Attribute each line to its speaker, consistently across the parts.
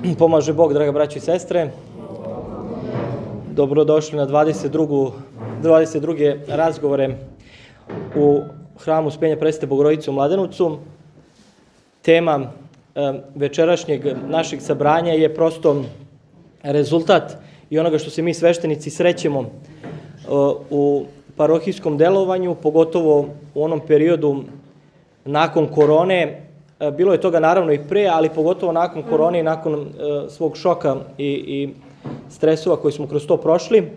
Speaker 1: Pomaže Bog, draga braćo i sestre. Dobrodošli na 22. razgovore u hramu Uspenja Presvete Bogorodice u Mladenovcu. Tema večerašnjeg našeg sabranja je prosto rezultat i onoga što se mi sveštenici srećemo u parohijskom delovanju, pogotovo u onom periodu nakon korone. Bilo je toga naravno i pre, ali pogotovo nakon korone i nakon svog šoka i stresova koji smo kroz to prošli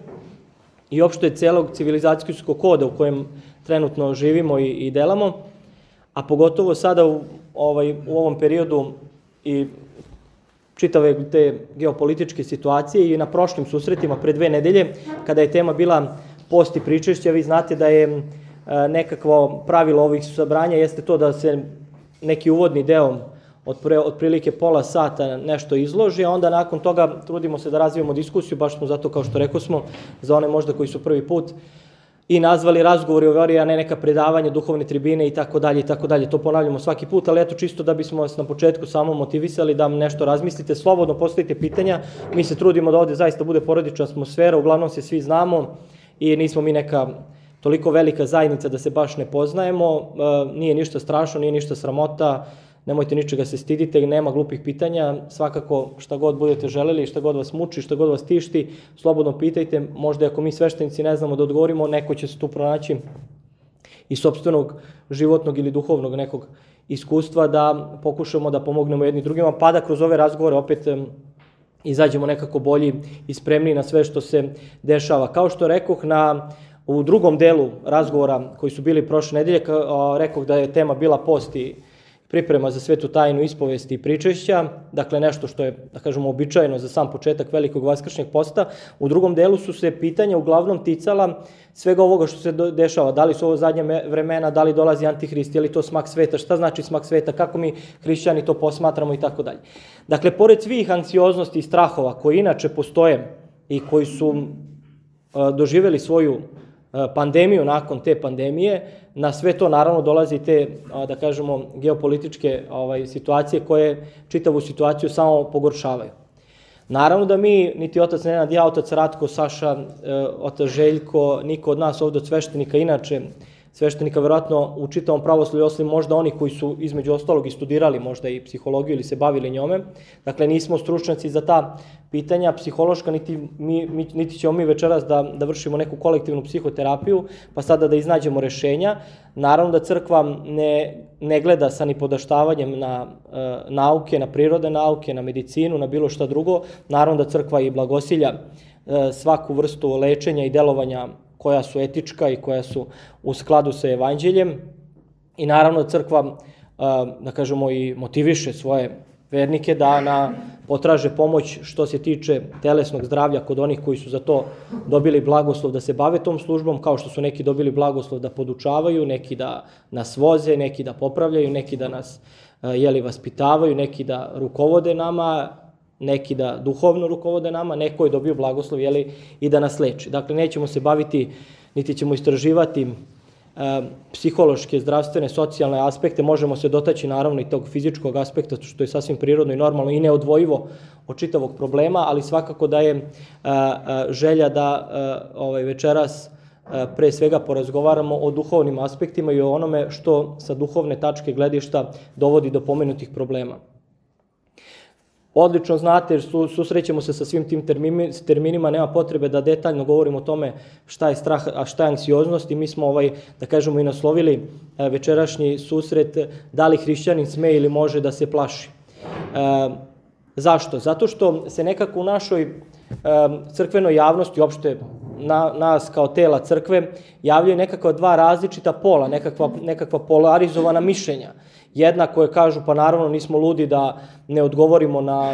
Speaker 1: i opšte celog civilizacijskog koda u kojem trenutno živimo i delamo, a pogotovo sada u ovom periodu i čitave te geopolitičke situacije i na prošlim susretima pre 2 nedelje, kada je tema bila post i pričešća. Vi znate da je nekakvo pravilo ovih sabranja jeste to da se neki uvodni deo otprilike pola sata nešto izloži, a onda nakon toga trudimo se da razvijemo diskusiju, baš smo zato, kao što rekao smo, za one možda koji su prvi put i nazvali razgovori o veri, a ne neka predavanja, duhovne tribine i tako dalje i tako dalje. To ponavljamo svaki put, ali eto čisto da bismo vas na početku samo motivisali da nešto razmislite, slobodno postavite pitanja. Mi se trudimo da ovde zaista bude porodična atmosfera, uglavnom se svi znamo i nismo mi neka toliko velika zajednica da se baš ne poznajemo. Nije ništa strašno, nije ništa sramota, nemojte ničega se stidite, nema glupih pitanja, svakako šta god budete želeli, šta god vas muči, šta god vas tišti, slobodno pitajte, možda ako mi sveštenici ne znamo da odgovorimo, neko će se tu pronaći iz sopstvenog životnog ili duhovnog nekog iskustva da pokušamo da pomognemo jedni drugima, pa da kroz ove razgovore opet izađemo nekako bolji i spremniji na sve što se dešava. Kao što rekoh, u drugom delu razgovora koji su bili prošle nedelje, rekoh da je tema bila post i priprema za svetu tajnu ispovesti i pričešća, dakle nešto što je, da kažemo, običajno za sam početak velikog vaskršnjeg posta. U drugom delu su se pitanja uglavnom ticala svega ovoga što se dešava, da li su ovo zadnje vremena, da li dolazi Antihrist, je li to smak sveta, šta znači smak sveta, kako mi hrišćani to posmatramo i tako dalje. Dakle, pored svih anksioznosti i strahova koji inače postoje i koji su doživjeli svoju pandemiju nakon te pandemije, na sve to naravno dolazi te, da kažemo, geopolitičke situacije koje čitavu situaciju samo pogoršavaju. Naravno da mi, niti otac Nenad, ja, otac Ratko, Saša, otac Željko, niko od nas ovde od sveštenika, inače sveštenika verovatno u čitavom pravoslavlju, osim možda oni koji su između ostalog i studirali možda i psihologiju ili se bavili njome. Dakle, nismo stručnjaci za ta pitanja psihološka, niti ćemo mi večeras da vršimo neku kolektivnu psihoterapiju, pa sada da iznađemo rešenja. Naravno da crkva ne gleda sa nipodaštavanjem na nauke, na prirodne nauke, na medicinu, na bilo šta drugo. Naravno da crkva i blagosilja svaku vrstu lečenja i delovanja koja su etička i koja su u skladu sa evanđeljem. I naravno crkva, da kažemo, i motiviše svoje vernike da potraže pomoć što se tiče telesnog zdravlja kod onih koji su za to dobili blagoslov da se bave tom službom, kao što su neki dobili blagoslov da podučavaju, neki da nas voze, neki da popravljaju, neki da nas vaspitavaju, neki da rukovode nama, neki da duhovno rukovode nama, neko je dobio blagoslov i da nas leči. Dakle, nećemo se baviti, niti ćemo istraživati psihološke, zdravstvene, socijalne aspekte, možemo se dotaći naravno i tog fizičkog aspekta, što je sasvim prirodno i normalno i neodvojivo od čitavog problema, ali svakako da je želja da večeras pre svega porazgovaramo o duhovnim aspektima i o onome što sa duhovne tačke gledišta dovodi do pomenutih problema. Odlično znate, jer susrećemo se sa svim tim terminima, nema potrebe da detaljno govorimo o tome šta je strah, a šta je anksioznost, i mi smo, da kažemo, i naslovili večerašnji susret da li hrišćanin sme ili može da se plaši. Zašto? Zato što se nekako u našoj crkvenoj javnosti, uopšte nas kao tela crkve, javljaju nekakva 2 različita pola, nekakva polarizovana mišljenja. Jedna koje kažu, pa naravno nismo ludi da ne odgovorimo na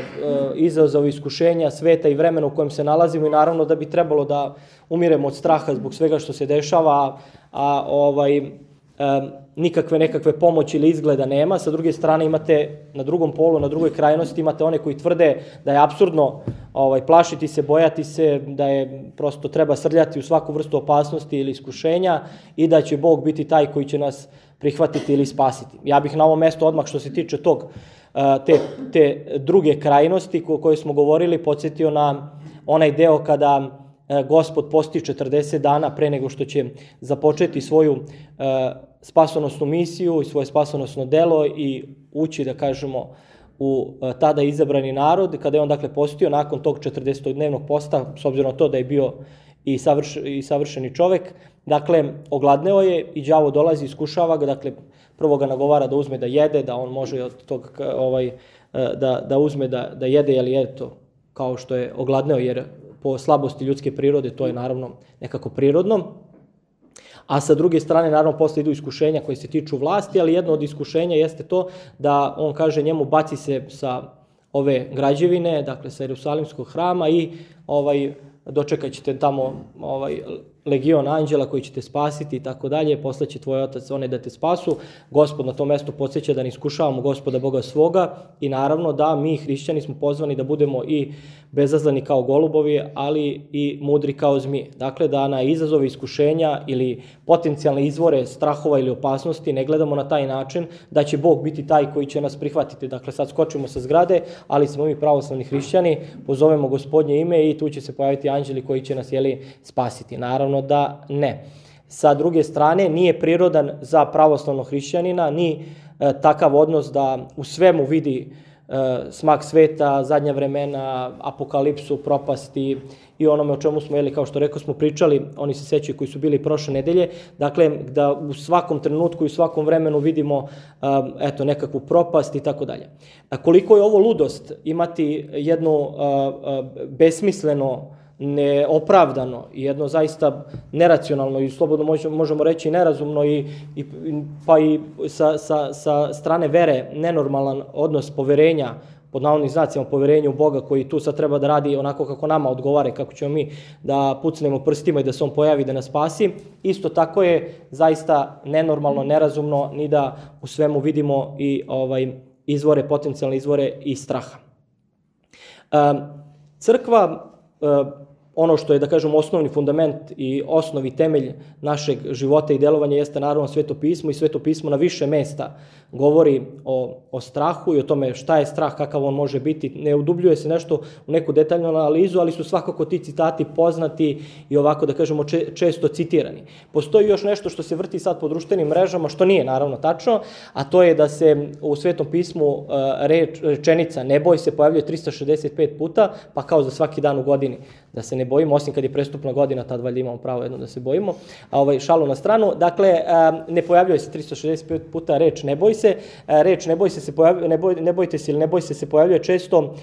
Speaker 1: izazove iskušenja sveta i vremena u kojem se nalazimo i naravno da bi trebalo da umiremo od straha zbog svega što se dešava, a nikakve nekakve pomoći ili izgleda nema. Sa druge strane imate na drugom polu, na drugoj krajnosti imate one koji tvrde da je apsurdno plašiti se, bojati se, da je prosto treba srljati u svaku vrstu opasnosti ili iskušenja i da će Bog biti taj koji će nas prihvatiti ili spasiti. Ja bih na ovom mestu odmah što se tiče tog te druge krajnosti o kojoj smo govorili, podsjetio na onaj deo kada Gospod posti 40 dana pre nego što će započeti svoju spasonosnu misiju i svoje spasonosno delo i ući, da kažemo, u tada izabrani narod, kada je on dakle postio nakon tog 40-dnevnog posta, s obzirom na to da je bio i savršeni čovek, dakle, ogladneo je i đavo dolazi, iskušava ga, dakle, prvo ga nagovara da uzme da jede, da on može od tog, da uzme da jede, jer je to kao što je ogladneo, jer po slabosti ljudske prirode to je naravno nekako prirodno. A sa druge strane, naravno, posle idu iskušenja koje se tiču vlasti, ali jedno od iskušenja jeste to da on kaže njemu baci se sa ove građevine, dakle sa Jerusalimskog hrama i dočekat ćete tamo legion anđela koji će te spasiti i tako dalje, posle će tvoj otac one da te spasu. Gospod na tom mestu podsjeća da ne iskušavamo Gospoda Boga svoga i naravno da mi hrišćani smo pozvani da budemo i bezazleni kao golubovi, ali i mudri kao zmije. Dakle, da na izazove iskušenja ili potencijalne izvore strahova ili opasnosti ne gledamo na taj način da će Bog biti taj koji će nas prihvatiti. Dakle, sad skočimo sa zgrade, ali smo mi pravoslavni hrišćani, pozovemo Gospodnje ime i tu će se pojaviti anđeli koji će nas spasiti. Naravno da ne. Sa druge strane, nije prirodan za pravoslavnog hrišćanina ni takav odnos da u svemu vidi smak sveta, zadnja vremena, apokalipsu, propasti i onome o čemu smo, kao što rekao, smo pričali, oni se sećaju koji su bili prošle nedelje, dakle, da u svakom trenutku i u svakom vremenu vidimo nekakvu propast i tako dalje. Koliko je ovo ludost imati jedno besmisleno, neopravdano i jedno zaista neracionalno i slobodno možemo reći nerazumno pa i sa strane vere nenormalan odnos poverenja, pod navodnim znacima poverenja u Boga koji tu sad treba da radi onako kako nama odgovara, kako ćemo mi da pucnemo prstima i da se on pojavi da nas spasi. Isto tako je zaista nenormalno, nerazumno ni da u svemu vidimo i izvore, potencijalne izvore i straha. Crkva, ono što je, da kažem, osnovni fundament i osnovi temelj našeg života i delovanja jeste naravno Sveto pismo i Sveto pismo na više mesta govori o strahu i o tome šta je strah, kakav on može biti. Ne udubljuje se nešto u neku detaljnu analizu, ali su svakako ti citati poznati i ovako, da kažemo, često citirani. Postoji još nešto što se vrti sad po društvenim mrežama, što nije naravno tačno, a to je da se u Svetom pismu rečenica ne boj se pojavljuje 365 puta, pa kao za svaki dan u godini da se ne bojimo, osim kad je prestupna godina, tad valjda imamo pravo jedno da se bojimo, šalu na stranu. Dakle, ne pojavljuje se 365 puta reč ne boj se, reč ne bojte se ili ne boj se pojavljuje često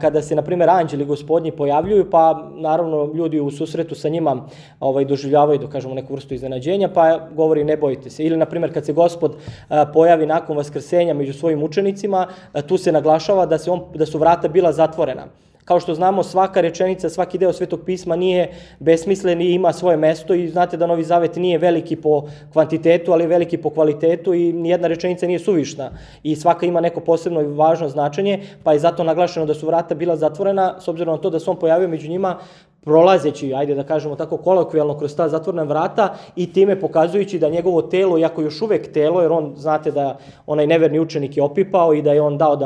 Speaker 1: kada se, na primjer, anđeli Gospodnji pojavljuju, pa naravno ljudi u susretu sa njima doživljavaju, da kažemo, neku vrstu iznenađenja, pa govori ne bojte se. Ili, na primjer, kad se Gospod pojavi nakon vaskrsenja među svojim učenicima, tu se naglašava da su vrata bila zatvorena. Kao što znamo, svaka rečenica, svaki deo Svetog pisma nije besmislen i ima svoje mesto i znate da Novi Zavet nije veliki po kvantitetu, ali veliki po kvalitetu i nijedna rečenica nije suvišna i svaka ima neko posebno i važno značenje, pa je zato naglašeno da su vrata bila zatvorena, s obzirom na to da se on pojavio među njima prolazeći, ajde da kažemo tako kolokvijalno, kroz ta zatvorena vrata i time pokazujući da njegovo telo, iako još uvek telo, jer on, znate da onaj neverni učenik je opipao i da je on dao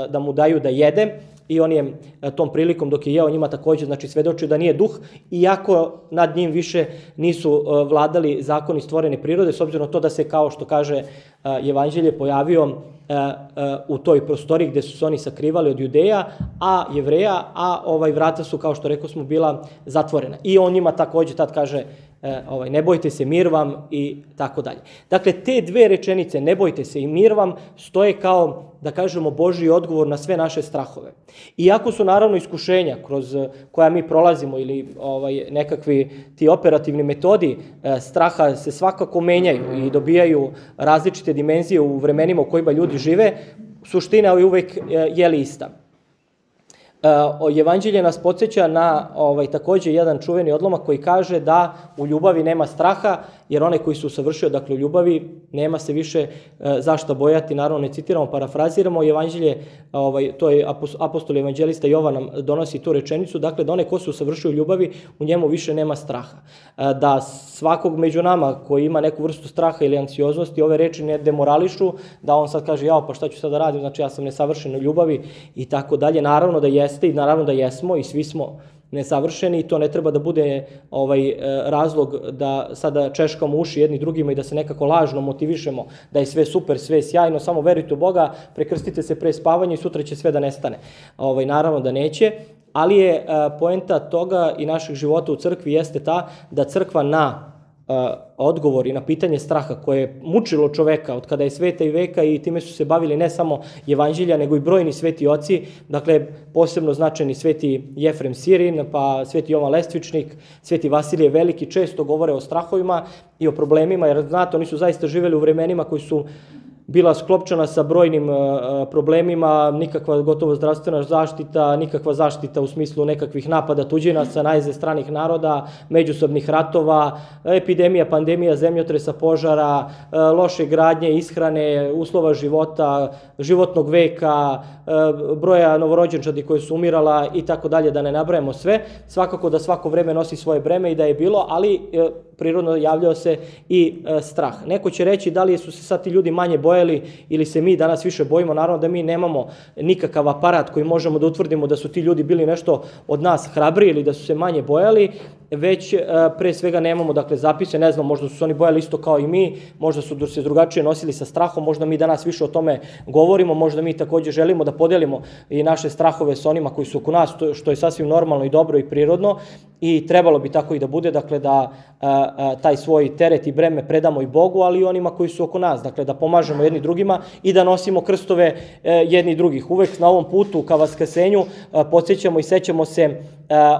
Speaker 1: da mu daju da jede, i on je tom prilikom dok je jeo njima takođe, znači, svedočio da nije duh, iako nad njim više nisu vladali zakoni stvorene prirode, s obzirom na to da se, kao što kaže Evanđelje, pojavio u toj prostoriji gde su se oni sakrivali od Judeja, a Jevreja, a vrata su, kao što rekao smo, bila zatvorena. I on njima takođe tad kaže ne bojte se, mir vam i tako dalje. Dakle, te dve rečenice, ne bojte se i mir vam, stoje kao, da kažemo, Božji odgovor na sve naše strahove. Iako su naravno iskušenja kroz koja mi prolazimo ili nekakvi ti operativni metodi straha se svakako menjaju i dobijaju različite dimenzije u vremenima u kojima ljudi žive, suština je uvek ista. Evanđelje nas podsjeća na takođe jedan čuveni odlomak koji kaže da u ljubavi nema straha, jer onaj koji se usavršio, dakle u ljubavi, nema se više zašta bojati. Naravno ne citiramo, parafraziramo Evanđelje, to je apostol evanđelista Jovan nam donosi tu rečenicu, dakle da onaj ko se usavršio u ljubavi, u njemu više nema straha. Da svakog među nama koji ima neku vrstu straha ili anksioznosti, ove reči ne demorališu, da on sad kaže jao pa šta ću sad da radim, znači ja sam nesavršen u ljubavi i tako dalje. Naravno da jeste i naravno da jesmo i svi smo nesavršeni i to ne treba da bude razlog da sada češkamo uši jedni drugima i da se nekako lažno motivišemo da je sve super, sve sjajno, samo verujte u Boga, prekrstite se pre spavanja i sutra će sve da nestane. Naravno da neće, ali je poenta toga i naših života u crkvi jeste ta da crkva na odgovor i na pitanje straha koje je mučilo čoveka od kada je sveta i veka i time su se bavili ne samo evanđelja nego i brojni sveti oci, dakle posebno značajni sveti Jefrem Sirin, pa sveti Jovan Lestvičnik, sveti Vasilije Veliki, često govore o strahovima i o problemima, jer znate, oni su zaista živeli u vremenima koji su bila sklopčana sa brojnim problemima, nikakva gotovo zdravstvena zaštita, nikakva zaštita u smislu nekakvih napada tuđinaca, najezde stranih naroda, međusobnih ratova, epidemija, pandemija, zemljotresa, požara, loše gradnje, ishrane, uslova života, životnog veka, broja novorođenčadi koje su umirala i tako dalje, da ne nabrajamo sve. Svakako da svako vreme nosi svoje breme i da je bilo, ali prirodno javljao se i strah. Neko će reći da li su se sad ti ljudi manje bojali ili se mi danas više bojimo. Naravno da mi nemamo nikakav aparat koji možemo da utvrdimo da su ti ljudi bili nešto od nas hrabri ili da su se manje bojali, već pre svega nemamo zapise, ne znam, možda su se oni bojali isto kao i mi, možda su se drugačije nosili sa strahom, možda mi danas više o tome govorimo, možda mi takođe želimo da podelimo i naše strahove sa onima koji su oko nas, što je sasvim normalno i dobro i prirodno i trebalo bi tako i da bude, dakle da taj svoj teret i breme predamo i Bogu, ali i onima koji su oko nas, dakle da pomažemo jedni drugima i da nosimo krstove jedni drugih. Uvek na ovom putu ka vaskrsenju podsjećamo i sećamo se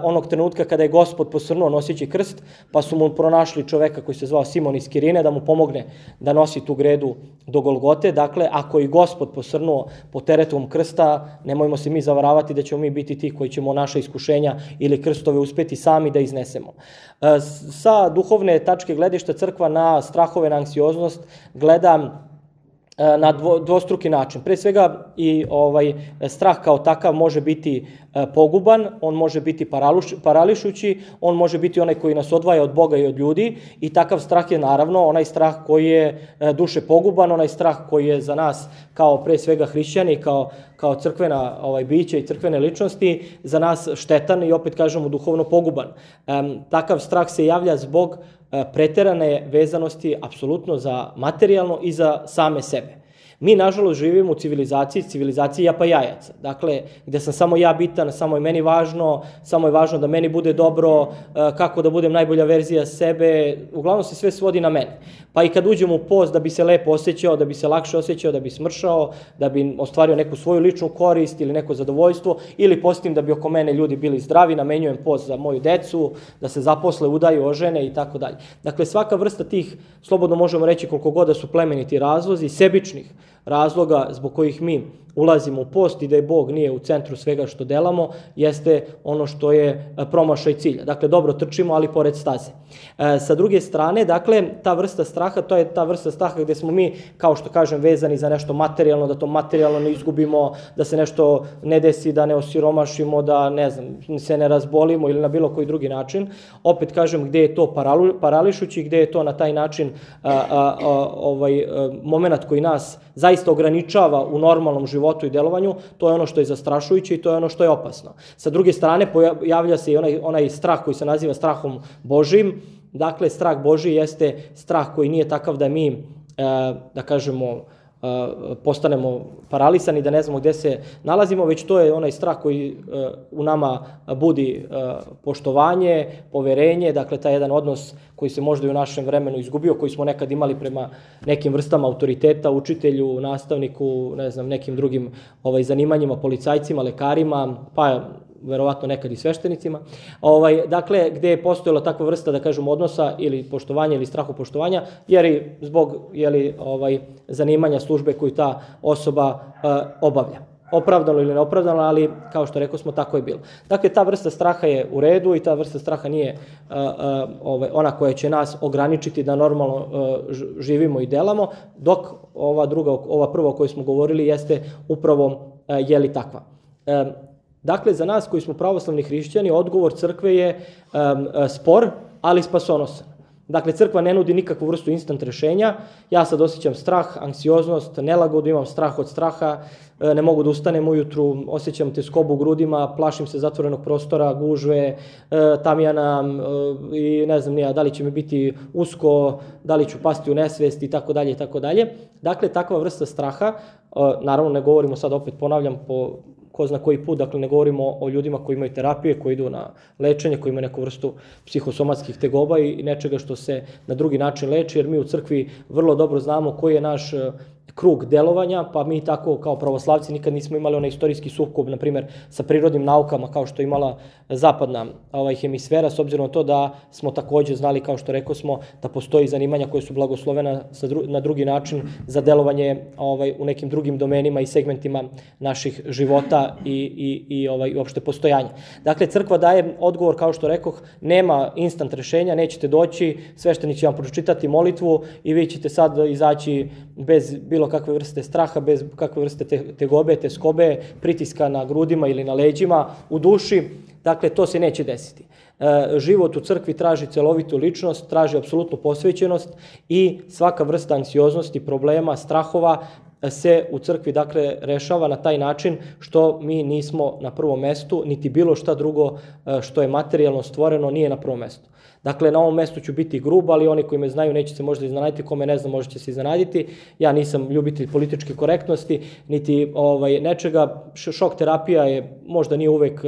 Speaker 1: onog trenutka kada je Gospod posrnuo noseći krst, pa su mu pronašli čoveka koji se zvao Simon iz Kirine da mu pomogne da nosi tu gredu do Golgote. Dakle, ako i Gospod posrnuo po teretom krsta, nemojmo se mi zavaravati da ćemo mi biti ti koji ćemo naša iskušenja ili krstove uspeti sami da iznesemo. Sa duhovne tačke gledišta crkva na strahove, na anksioznost gleda na dvostruki način. Pre svega i strah kao takav može biti poguban, on može biti parališući, on može biti onaj koji nas odvaja od Boga i od ljudi i takav strah je naravno onaj strah koji je duše poguban, onaj strah koji je za nas kao pre svega hrišćani, kao crkvena bića i crkvene ličnosti, za nas štetan i opet kažemo duhovno poguban. Takav strah se javlja zbog preterane vezanosti apsolutno za materijalno i za same sebe. Mi, nažalost, živimo u civilizaciji japa jajaca. Dakle, gde sam samo ja bitan, samo je meni važno, samo je važno da meni bude dobro, kako da budem najbolja verzija sebe, uglavnom se sve svodi na mene. Pa i kad uđem u post da bi se lepo osjećao, da bi se lakše osjećao, da bi smršao, da bi ostvario neku svoju ličnu korist ili neko zadovoljstvo, ili postim da bi oko mene ljudi bili zdravi, namenjujem post za moju decu, da se zaposle, udaju, ožene i tako dalje. Dakle, svaka vrsta tih, slobodno možemo reći koliko god da su plemeniti razlozi, sebičnih razloga zbog kojih mi ulazimo u post i da je Bog nije u centru svega što delamo, jeste ono što je promašaj cilja. Dakle, dobro trčimo, ali pored staze. Sa druge strane, dakle, ta vrsta straha, to je ta vrsta straha gde smo mi, kao što kažem, vezani za nešto materijalno, da to materijalno ne izgubimo, da se nešto ne desi, da ne osiromašimo, da, ne znam, se ne razbolimo ili na bilo koji drugi način. Opet kažem, gde je to parališući, gde je to na taj način moment koji nas zaista ograničava u normalnom životu i delovanju, to je ono što je zastrašujuće i to je ono što je opasno. Sa druge strane, pojavlja se i onaj strah koji se naziva strahom Božijim. Dakle, strah Božiji jeste strah koji nije takav da mi, da kažemo, postanemo paralisani, da ne znamo gde se nalazimo, već to je onaj strah koji u nama budi poštovanje, poverenje, dakle taj jedan odnos koji se možda i u našem vremenu izgubio, koji smo nekad imali prema nekim vrstama autoriteta, učitelju, nastavniku, ne znam, nekim drugim zanimanjima, policajcima, lekarima, pa verovatno nekad i sveštenicima. Dakle, gde je postojala takva vrsta, da kažem, odnosa ili poštovanja ili strahu poštovanja, jer i zbog zanimanja službe koju ta osoba obavlja. opravdano ili neopravdano, ali kao što rekao smo, tako je bilo. Dakle, ta vrsta straha je u redu i ta vrsta straha nije ona koja će nas ograničiti da normalno živimo i delamo, dok ova prva o kojoj smo govorili jeste upravo takva. Dakle, za nas koji smo pravoslavni hrišćani, odgovor crkve je spor, ali spasonosan. Dakle, crkva ne nudi nikakvu vrstu instant rešenja. Ja sad osjećam strah, anksioznost, nelagodu, imam strah od straha, ne mogu da ustanem ujutru, osjećam teskobu u grudima, plašim se zatvorenog prostora, gužve, tamjana i ne znam nija, da li će mi biti usko, da li ću pasti u nesvest i tako dalje i tako dalje. Dakle, takva vrsta straha, naravno ne govorimo sad, opet ponavljam, po ko zna koji put, dakle ne govorimo o ljudima koji imaju terapije, koji idu na lečenje, koji imaju neku vrstu psihosomatskih tegoba i nečega što se na drugi način leči, jer mi u crkvi vrlo dobro znamo koji je naš krug delovanja, pa mi tako kao pravoslavci nikad nismo imali onaj istorijski sukob, na primjer, sa prirodnim naukama, kao što je imala zapadna hemisfera, s obzirom na to da smo takođe znali, kao što rekao smo, da postoji zanimanja koje su blagoslovena na drugi način za delovanje u nekim drugim domenima i segmentima naših života i uopšte postojanja. Dakle, crkva daje odgovor, kao što rekoh, nema instant rešenja, nećete doći, sveštenik će vam pročitati molitvu i vi ćete sad izaći bez bilo kakve vrste straha, bez kakve vrste tegobe, teskobe, pritiska na grudima ili na leđima, u duši. Dakle, to se neće desiti. Život u crkvi traži celovitu ličnost, traži apsolutnu posvećenost i svaka vrsta anksioznosti, problema, strahova se u crkvi, dakle, rešava na taj način što mi nismo na prvom mestu, niti bilo šta drugo što je materijalno stvoreno nije na prvom mestu. Dakle, na ovom mestu ću biti grub, ali oni koji me znaju neće se možda iznenaditi, kome ne znam možda će se iznenaditi. Ja nisam ljubitelj političke korektnosti, niti nečega. Šok terapija je, možda nije uvek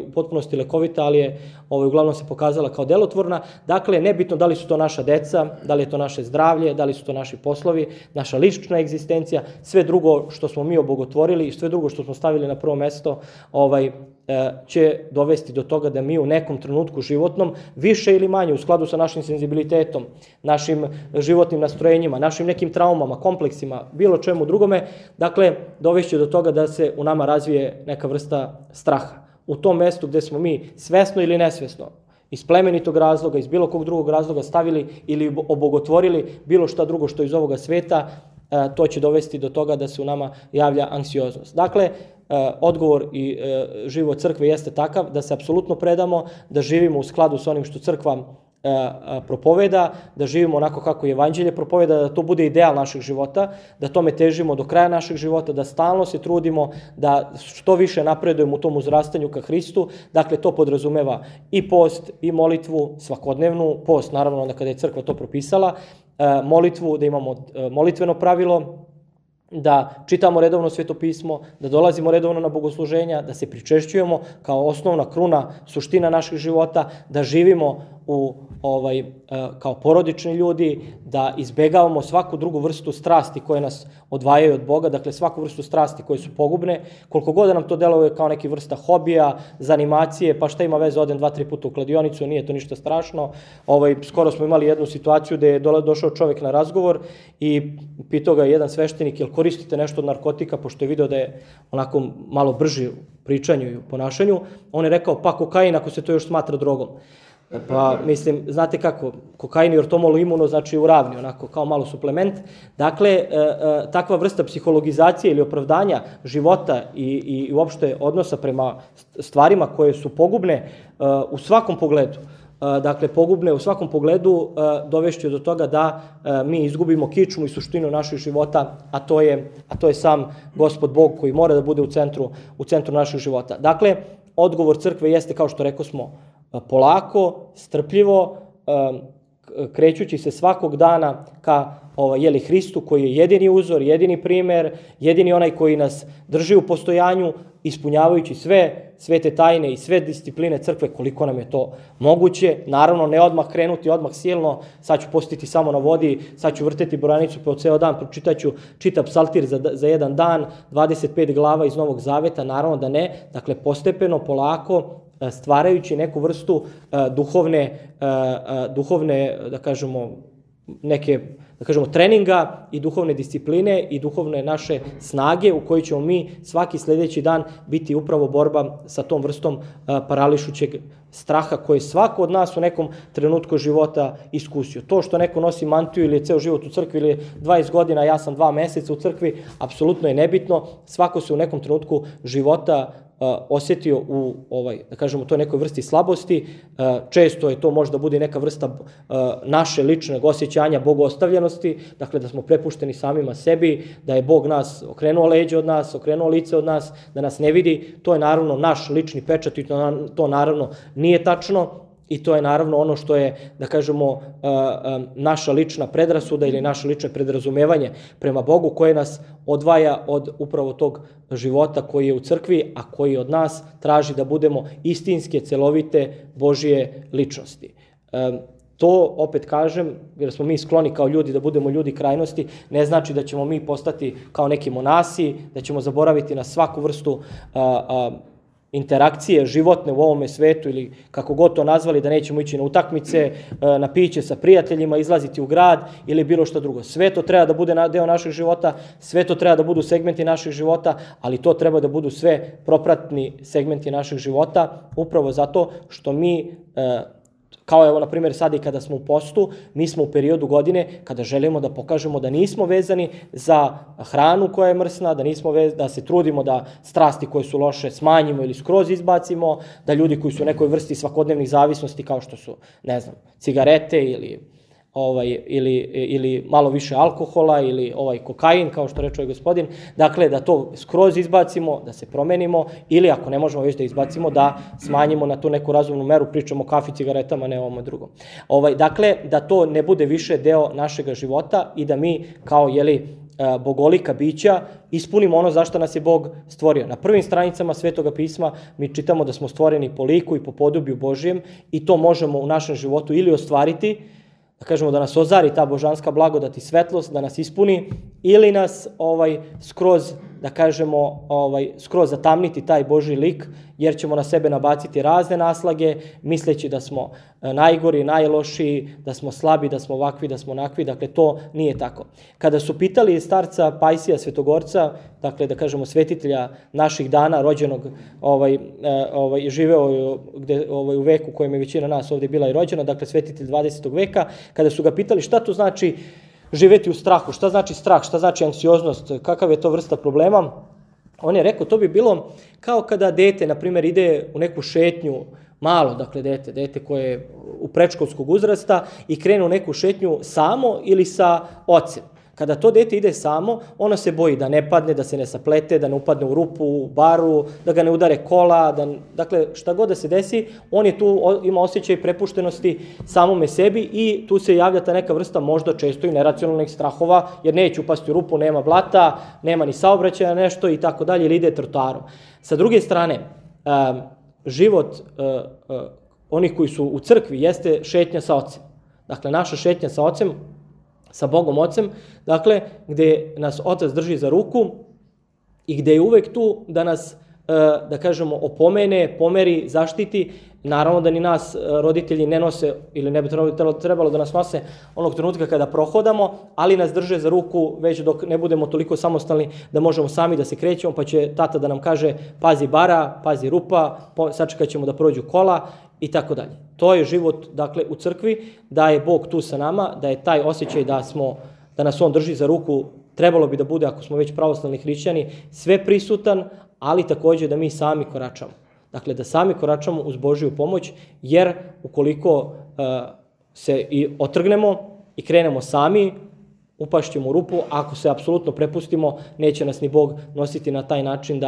Speaker 1: u potpunosti lekovita, ali je uglavnom se pokazala kao delotvorna. Dakle, nebitno da li su to naša deca, da li je to naše zdravlje, da li su to naši poslovi, naša lična egzistencija, sve drugo što smo mi obogotvorili i sve drugo što smo stavili na prvo mesto, će dovesti do toga da mi u nekom trenutku životnom, više ili manje, u skladu sa našim senzibilitetom, našim životnim nastrojenjima, našim nekim traumama, kompleksima, bilo čemu drugome, dakle, dovešće do toga da se u nama razvije neka vrsta straha. U tom mestu gde smo mi svesno ili nesvesno, iz plemenitog razloga, iz bilo kog drugog razloga stavili ili obogotvorili bilo šta drugo što iz ovoga sveta, to će dovesti do toga da se u nama javlja anksioznost. Dakle, odgovor i život crkve jeste takav da se apsolutno predamo, da živimo u skladu sa onim što crkva propoveda, da živimo onako kako je evanđelje propoveda, da to bude ideal našeg života, da tome težimo do kraja našeg života, da stalno se trudimo, da što više napredujemo u tom uzrastanju ka Hristu. Dakle, to podrazumeva i post i molitvu svakodnevnu, post naravno onda kada je crkva to propisala, molitvu, da imamo molitveno pravilo, da čitamo redovno svetopismo, da dolazimo redovno na bogosluženja, da se pričešćujemo kao osnovna kruna, suština naših života, da živimo kao porodični ljudi, da izbegavamo svaku drugu vrstu strasti koje nas odvajaju od Boga, dakle svaku vrstu strasti koje su pogubne, koliko god da nam to deluje kao neki vrsta hobija, zanimacije, pa šta ima veze, odem 2-3 puta u kladionicu, nije to ništa strašno. Skoro smo imali jednu situaciju gde je došao čovek na razgovor i pitao ga jedan sveštenik, jel koristite nešto od narkotika, pošto je video da je onako malo brži u pričanju i u ponašanju. On je rekao, pa kokain, ako se to još smatra drogom. Pa, mislim, znate kako, kokain i ortomol imuno znači uravni, onako kao malo suplement. Dakle, takva vrsta psihologizacije ili opravdanja života i uopšte odnosa prema stvarima koje su pogubne u svakom pogledu, dakle, pogubne u svakom pogledu, dovešće do toga da mi izgubimo kičmu i suštinu naših života, a to je sam Gospod Bog koji mora da bude u centru naših života. Dakle, odgovor crkve jeste, kao što rekao smo, polako, strpljivo, krećući se svakog dana ka Hristu koji je jedini uzor, jedini primer, jedini onaj koji nas drži u postojanju, ispunjavajući sve te tajne i sve discipline crkve koliko nam je to moguće. Naravno, ne odmah krenuti, odmah silno, sad ću postiti samo na vodi, sad ću vrteti brojanicu po ceo dan, pročitaću čitav psaltir za jedan dan, 25 glava iz Novog Zaveta, naravno da ne. Dakle, postepeno, polako, stvarajući neku vrstu duhovne, da kažemo, neke, da kažemo, treninga i duhovne discipline i duhovne naše snage u kojoj ćemo mi svaki sljedeći dan biti upravo borba sa tom vrstom parališućeg straha koje svako od nas u nekom trenutku života iskusio. To što neko nosi mantiju ili je ceo život u crkvi ili je 20 godina, ja sam 2 meseca u crkvi, apsolutno je nebitno. Svako se u nekom trenutku života osjetio u da kažemo, toj nekoj vrsti slabosti. Često je to možda bude neka vrsta naše ličnog osjećanja bogostavljenosti, dakle da smo prepušteni samima sebi, da je Bog nas okrenuo leđe od nas, okrenuo lice od nas, da nas ne vidi. To je naravno naš lični pečat i to naravno nije tačno. I to je naravno ono što je, da kažemo, naša lična predrasuda ili naše lično predrazumevanje prema Bogu koje nas odvaja od upravo tog života koji je u crkvi, a koji od nas traži da budemo istinske, celovite Božije ličnosti. To, opet kažem, jer smo mi skloni kao ljudi da budemo ljudi krajnosti, ne znači da ćemo mi postati kao neki monasi, da ćemo zaboraviti na svaku vrstu interakcije životne u ovome svetu ili kako god to nazvali, da nećemo ići na utakmice, na piće sa prijateljima, izlaziti u grad ili bilo što drugo. Sve to treba da bude deo našeg života, sve to treba da budu segmenti našeg života, ali to treba da budu sve propratni segmenti našeg života, upravo zato što mi, kao evo, na primjer, sad i kada smo u postu, mi smo u periodu godine kada želimo da pokažemo da nismo vezani za hranu koja je mrsna, da se trudimo da strasti koje su loše smanjimo ili skroz izbacimo, da ljudi koji su u nekoj vrsti svakodnevnih zavisnosti, kao što su, ne znam, cigarete ili malo više alkohola ili kokain, kao što reče gospodin, dakle da to skroz izbacimo, da se promenimo ili ako ne možemo već da izbacimo, da smanjimo na tu neku razumnu meru, pričamo o kafi, cigaretama, ne ovome drugom. Dakle, da to ne bude više deo našega života i da mi kao, bogolika bića ispunimo ono zašto nas je Bog stvorio. Na prvim stranicama Svetoga pisma mi čitamo da smo stvoreni po liku i po podobiju Božijem i to možemo u našem životu ili ostvariti, da kažemo da nas ozari ta božanska blagodat i svetlost, da nas ispuni, ili nas skroz, da kažemo, skroz zatamniti taj Božji lik, jer ćemo na sebe nabaciti razne naslage, misleći da smo najgori, najlošiji, da smo slabi, da smo ovakvi, da smo onakvi, dakle to nije tako. Kada su pitali starca Pajsija Svetogorca, dakle da kažemo svetitelja naših dana, rođenog, živeo u veku u kojem je većina nas ovdje bila i rođena, dakle svetitelj 20. veka, kada su ga pitali šta to znači živjeti u strahu, šta znači strah, šta znači anksioznost, kakav je to vrsta problema, on je rekao, to bi bilo kao kada dete, na primjer, ide u neku šetnju, malo, dakle, dete koje je u predškolskog uzrasta i krene u neku šetnju samo ili sa ocem. Kada to dete ide samo, ono se boji da ne padne, da se ne saplete, da ne upadne u rupu, u baru, da ga ne udare kola, dakle, šta god da se desi, on je tu, ima osjećaj prepuštenosti samome sebi i tu se javlja ta neka vrsta možda često i neracionalnih strahova, jer neće upasti u rupu, nema blata, nema ni saobraćaja nešto i tako dalje, ili ide trotoarom. Sa druge strane, život onih koji su u crkvi jeste šetnja sa ocem. Dakle, naša šetnja sa ocem, sa Bogom Ocem, dakle, gde nas Otac drži za ruku i gde je uvek tu da nas, da kažemo, opomene, pomeri, zaštiti. Naravno da ni nas roditelji ne nose ili ne bi trebalo da nas nose onog trenutka kada prohodamo, ali nas drže za ruku već dok ne budemo toliko samostalni da možemo sami da se krećemo, pa će tata da nam kaže pazi bara, pazi rupa, sačekat ćemo da prođu kola i tako dalje. To je život, dakle, u crkvi, da je Bog tu sa nama, da je taj osjećaj da nas On drži za ruku, trebalo bi da bude, ako smo već pravoslavni hrišćani, sve prisutan, ali također da mi sami koračamo. Dakle, da sami koračamo uz Božju pomoć, jer ukoliko se i otrgnemo i krenemo sami, upašćemo u rupu, ako se apsolutno prepustimo, neće nas ni Bog nositi na taj način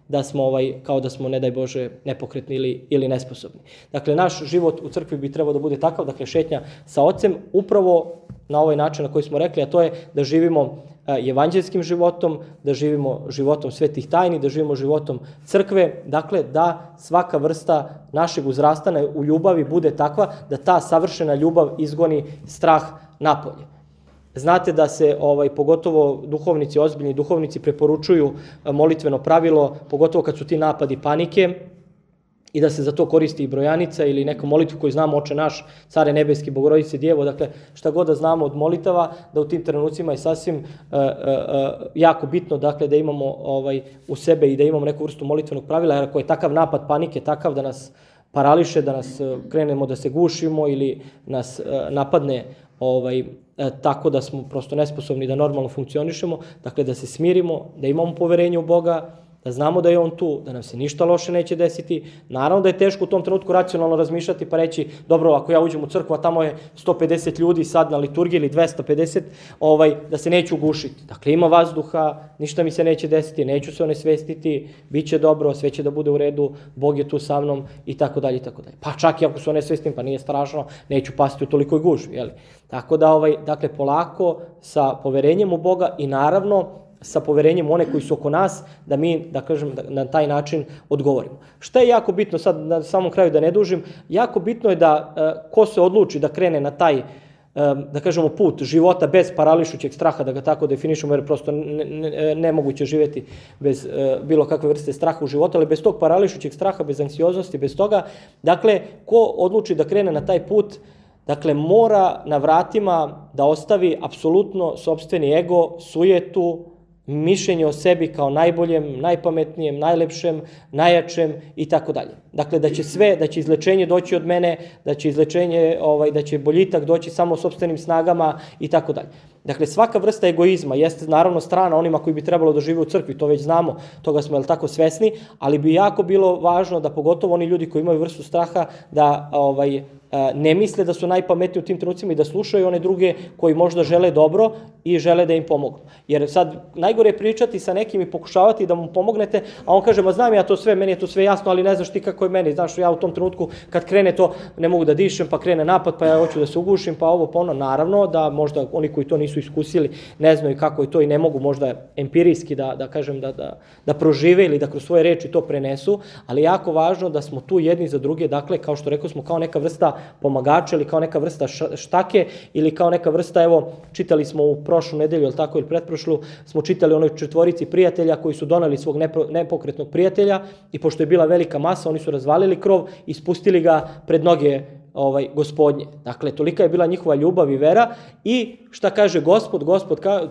Speaker 1: da smo, kao da smo, ne daj Bože, nepokretni ili nesposobni. Dakle, naš život u crkvi bi trebao da bude takav, dakle, šetnja sa Ocem, upravo na ovaj način na koji smo rekli, a to je da živimo evanđelskim životom, da živimo životom svetih tajni, da živimo životom crkve, dakle, da svaka vrsta našeg uzrastana u ljubavi bude takva da ta savršena ljubav izgoni strah napolje. Znate da se, pogotovo duhovnici, ozbiljni duhovnici, preporučuju molitveno pravilo, pogotovo kad su ti napadi panike, i da se za to koristi i brojanica ili neka molitva koju znamo, Oče naš, Care nebeski, Bogorodice Djevo, dakle šta god da znamo od molitava, da u tim trenucima je sasvim jako bitno, dakle, da imamo u sebe i da imamo neku vrstu molitvenog pravila, jer ako je takav napad panike, takav da nas parališe, da nas krenemo da se gušimo ili nas napadne tako da smo prosto nesposobni da normalno funkcionišemo, dakle da se smirimo, da imamo poverenje u Boga, da znamo da je On tu, da nam se ništa loše neće desiti. Naravno da je teško u tom trenutku racionalno razmišljati pa reći, dobro, ako ja uđem u crkvu, a tamo je 150 ljudi sad na liturgiji ili 250, da se neću gušiti. Dakle, ima vazduha, ništa mi se neće desiti, neću se onesvestiti, bit će dobro, sve će da bude u redu, Bog je tu sa mnom i tako dalje i tako dalje. Pa čak i ako se onesvestim, pa nije strašno, neću pasti u tolikoj gužvi, jeli? Tako da, dakle, polako, sa poverenjem u Boga i naravno sa poverenjem one koji su oko nas, da mi, da kažem, na taj način odgovorimo. Šta je jako bitno, sad na samom kraju da ne dužim, jako bitno je da ko se odluči da krene na taj, da kažemo, put života bez parališućeg straha, da ga tako definišemo, jer prosto nemoguće živjeti bez bilo kakve vrste straha u životu, ali bez tog parališućeg straha, bez anksioznosti, bez toga, dakle, ko odluči da krene na taj put, dakle, mora na vratima da ostavi apsolutno sopstveni ego, sujetu, mišljenje o sebi kao najboljem, najpametnijem, najlepšem, najjačem i tako dalje. Dakle, da će izlečenje doći od mene, da će boljitak doći samo sopstvenim snagama i tako dalje. Dakle, svaka vrsta egoizma jeste naravno strana onima koji bi trebalo da žive u crkvi, to već znamo, toga smo tako svesni, ali bi jako bilo važno da pogotovo oni ljudi koji imaju vrstu straha da ne misle da su najpametniji u tim trenucima i da slušaju one druge koji možda žele dobro i žele da im pomognu. Jer sad najgore je pričati sa nekim i pokušavati da mu pomognete, a on kaže, ma znam ja to sve, meni je to sve jasno, ali ne znaš ti kako je meni, znaš, ja u tom trenutku kad krene to ne mogu da dišem, pa krene napad, pa ja hoću da se ugušim, pa ovo, pa ono, naravno da možda oni koji to nisu iskusili ne znaju kako je to i ne mogu možda empirijski da kažem da prožive ili da kroz svoje reči to prenesu, ali jako važno da smo tu jedni za druge, dakle, kao što rekao smo, kao neka vrsta pomagača ili kao neka vrsta štake ili kao neka vrsta, evo, čitali smo u prošlu nedelju, ili tako, ili pretprošlu, smo čitali onoj 4 prijatelja koji su doneli svog nepokretnog prijatelja i pošto je bila velika masa, oni su razvalili krov i spustili ga pred noge Gospodnje. Dakle, tolika je bila njihova ljubav i vera i šta kaže Gospod,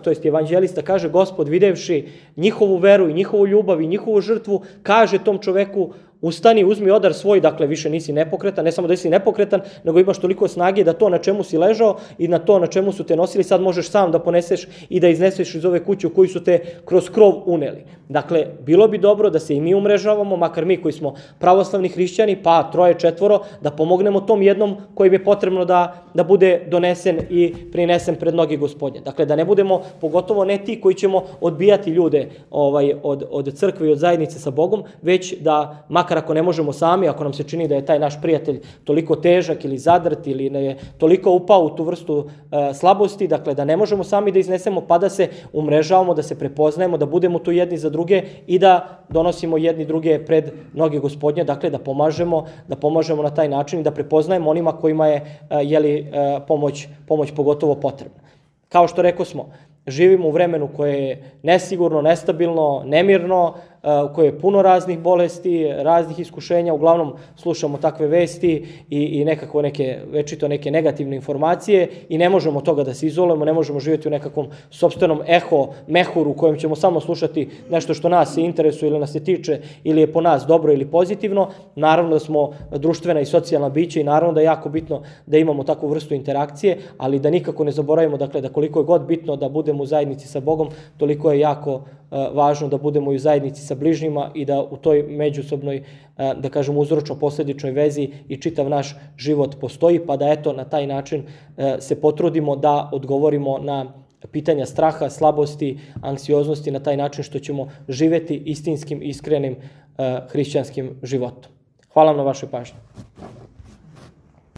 Speaker 1: to jest evanđelista, kaže Gospod videvši njihovu veru i njihovu ljubav i njihovu žrtvu, kaže tom čoveku, ustani, uzmi odar svoj, dakle više nisi nepokretan, ne samo da si nepokretan, nego imaš toliko snage da to na čemu si ležao i na to na čemu su te nosili, sad možeš sam da poneseš i da izneseš iz ove kuće u koju su te kroz krov uneli. Dakle, bilo bi dobro da se i mi umrežavamo, makar mi koji smo pravoslavni hrišćani, pa 3, 4, da pomognemo tom jednom kojim je potrebno da bude donesen i prinesen pred noge Gospodnje. Dakle, da ne budemo, pogotovo ne ti koji ćemo odbijati ljude od crkve i od zajednice sa Bogom, već da, makar ako ne možemo sami, ako nam se čini da je taj naš prijatelj toliko težak ili zadrt ili je toliko upao u tu vrstu slabosti, dakle da ne možemo sami da iznesemo, pa da se umrežavamo, da se prepoznajemo, da budemo tu jedni za druge i da donosimo jedni druge pred noge Gospodnje, dakle da pomažemo na taj način i da prepoznajemo onima kojima je pomoć pogotovo potrebna. Kao što rekao smo, živimo u vremenu koje je nesigurno, nestabilno, nemirno, koje je puno raznih bolesti, raznih iskušenja, uglavnom slušamo takve vesti i nekako večito neke negativne informacije i ne možemo toga da se izolujemo, ne možemo živjeti u nekakvom sopstvenom mehuru u kojem ćemo samo slušati nešto što nas interesuje ili nas se tiče ili je po nas dobro ili pozitivno. Naravno da smo društvena i socijalna bića i naravno da je jako bitno da imamo takvu vrstu interakcije, ali da nikako ne zaboravimo, dakle, da koliko je god bitno da budemo u zajednici sa Bogom, toliko je jako važno da budemo i u zajednici sa bližnjima i da u toj međusobnoj, da kažemo, uzročno-posledičnoj vezi i čitav naš život postoji, pa da eto na taj način se potrudimo da odgovorimo na pitanja straha, slabosti, anksioznosti na taj način što ćemo živjeti istinskim, iskrenim hrišćanskim životom. Hvala vam na vašoj pažnji.